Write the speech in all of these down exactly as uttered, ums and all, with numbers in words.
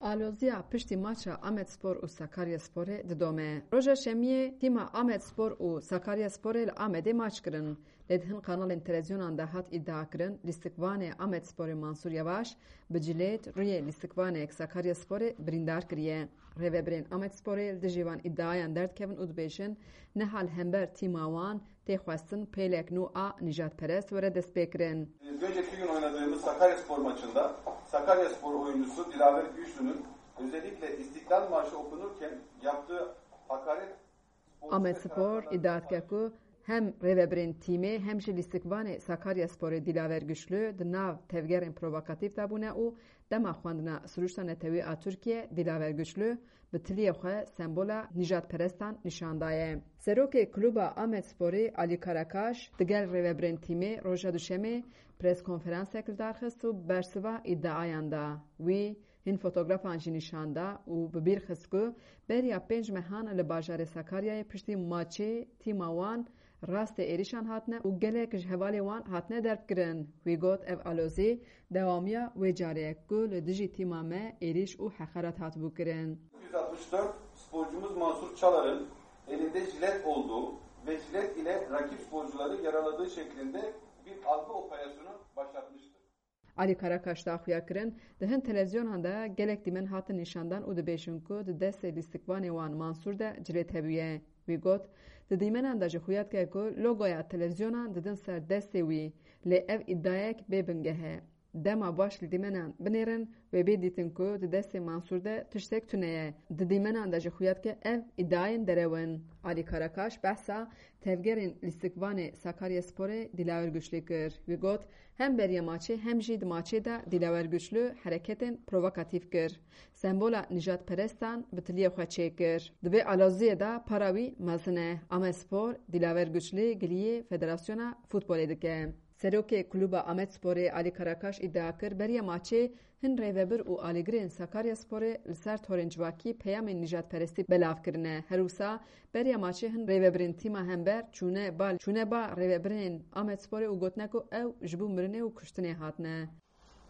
Aloziya piştî maça Amedspor û Sakaryasporê didome. Roja Şemiyê tîma Amedspor û Sakaryasporê li Amedê maç kirin. Lê di hin kanalên televîzyonan de hat îdia kirin, lîstikvanê Amedsporê Mansûr Yevaş bi cilêt rûyê lîstikvanê Sakaryasporê birîndar kiriye. Rêvebirên Amedsporê li dijî van îdiayan derdikevin û dibêjin, niha li hember tîma wan tê xwestin pêlek nû a nîjadperest were destpêkirin. Biz önceki gün oynadığımız Sakaryaspor maçında Sakaryaspor oyuncusu Dilaver Güçlü'nün özellikle İstiklal Marşı okunurken yaptığı hakaret sporcu ve Amedspor taraftarlarımıza îdia dike ku hem rêvebirên tîmê hem jî lîstikvanê Sakaryasporê Dilaver Güçlü di nav tevgerên provokatîf de bûne û dema xwendina sirûşta netewî a Tirkiye Dilaver Güçlü bi tiliyê xwe sembola nîjadperestan nîşan daye. Serokê Kluba Amedsporê Alî Karakaş digel rêvebirên tîmê roja Duşemê preskonferansek li dar xist û bersiva îdiayan da. Wî hin fotografan jî nîşan da û bi bîr xist ku beriya pênc mehan li bajarê Sakaryayê piştî maçê tîma wan rastê êrîşan hatine û gelek ji hevalê wan hatine derbkirin. Wî got, ev alozî dewamiya wê carê ye ku li dijî tîma me êrîş û heqaret hatibû kirin. Yüz altmış dört sporcumuz Mansur Çalar'ın elinde jilet olduğu ve jilet ile rakip sporcuları yaraladığı şeklinde bir algı operasyonu başlatmıştır. Alî Karakaş da xuya kirin, di hin televîzyonan de gelek dîmen hatin nîşandan û dibêjin ku di destê lîstikvanê wan Mansûr de cilêt hebûye. Wî got, di dîmenan de jî xuya dike ku logoya televîzyonan didin ser destê wî, lê ev îdiayek bê bingeh e. Dema baş li dîmenan binêrin, wê bê dîtin ku di destê Mansûr de tiştek tune ye. Di dîmenan de jî xuya dike ev îdiayên derew in. Alî Karakaş behsa tevgerên lîstikvanê Sakaryasporê Dilawer Güçlü kir. Wî got, hem beriya maçê hem jî di maçê de Dilawer Güçlü hereketên provokatîf kir. Sembola nijadperestan bi tiliyê xwe çêkir. Di vê aloziyê de para wî mezin e. Amedspor Dilawer Güçlü giliyê Federasyona Futbolê dike. Serokê Kluba Amedsporê Alî Karakaş îdia kir, beriya maçê hin rêvebir û alîgirên Sakaryasporê li ser torên civakî peyamên nijadperestî belav kirine. Her wisa beriya maçê hin rêvebirên tîma hember çûne ba, çûne ba rêvebirên Amedsporê û gotine ku ew ji bo mirinê û kuştinê hatine.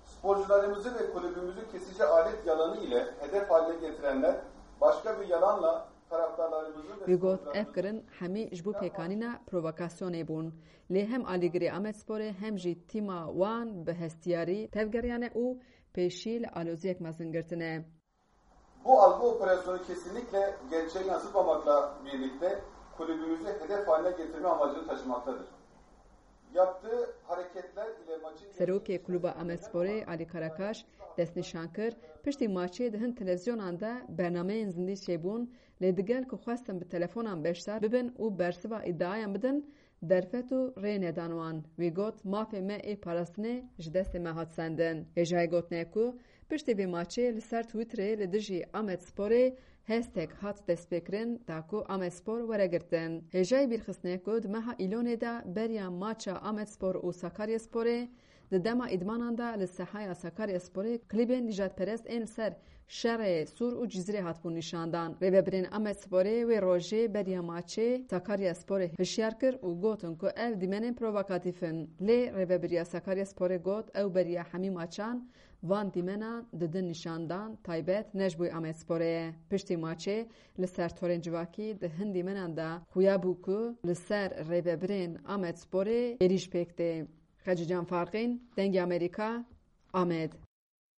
Sporcularımızı ve kulübümüzü kesici alet yalanı ile hedef haline getirenler başka bir yalanla taraftarlarımızın ve Wî got, ev sporcularımızın kirin hemî ji bo pêkanîna provokasyonê bûn. Lê hem alîgirê Amedsporê hem jî tîma wan bi hestiyarî tevgeriyane û pêşî li aloziyek mezin girtine. Bu algı operasyonu kesinlikle gerçeği yansıtmamakla birlikte kulübümüzü hedef haline getirme amacını taşımaktadır. Yaptığı hareketler ile maçın Serokê Kluba Amedsporê Alî Karakaş destnîşan kir, piştî maçê di hin televîzyonan de bernameyên zindî çêbûn, lê digel ku xwestin bi telefonan beşdar bibin û bersiva îdiayan bidin, derfet û rê nedan wan. Wî got, mafê me ê parastinê ji destê me hat sendin. Hêjayî gotinê ku piştî vê maçê li ser Twitterê li dijî Amedsporê hestek hat destpêkirin, da ku Amedspor were girtin. Hêjayî bîrxistinê ku di meha Îlonê de beriya maça Amedspor û Sakaryasporê di dema îdmanan de li sehaya Sakaryasporê klîbên nijadperest ên li ser Şerê Sûr û Cizîrê hatibûn nîşandan. Rêvebirên Amedsporê wê rojê beriya maçê Sakaryasporê hişyar kir û gotin ku ev dîmenên provokatîf in. Lê rêvebiriya Sakaryasporê got, ew beriya hemî maçan van dîmenan didin nîşandan taybet ne ji bo Amedsporê ye. Piştî maçê li ser torên civakî di hin dîmenan de xuya bû ku li ser rêvebirên Amedsporê êrîş pêk tê. Xecîcan Farqîn, Dengê Amerîka, Amed.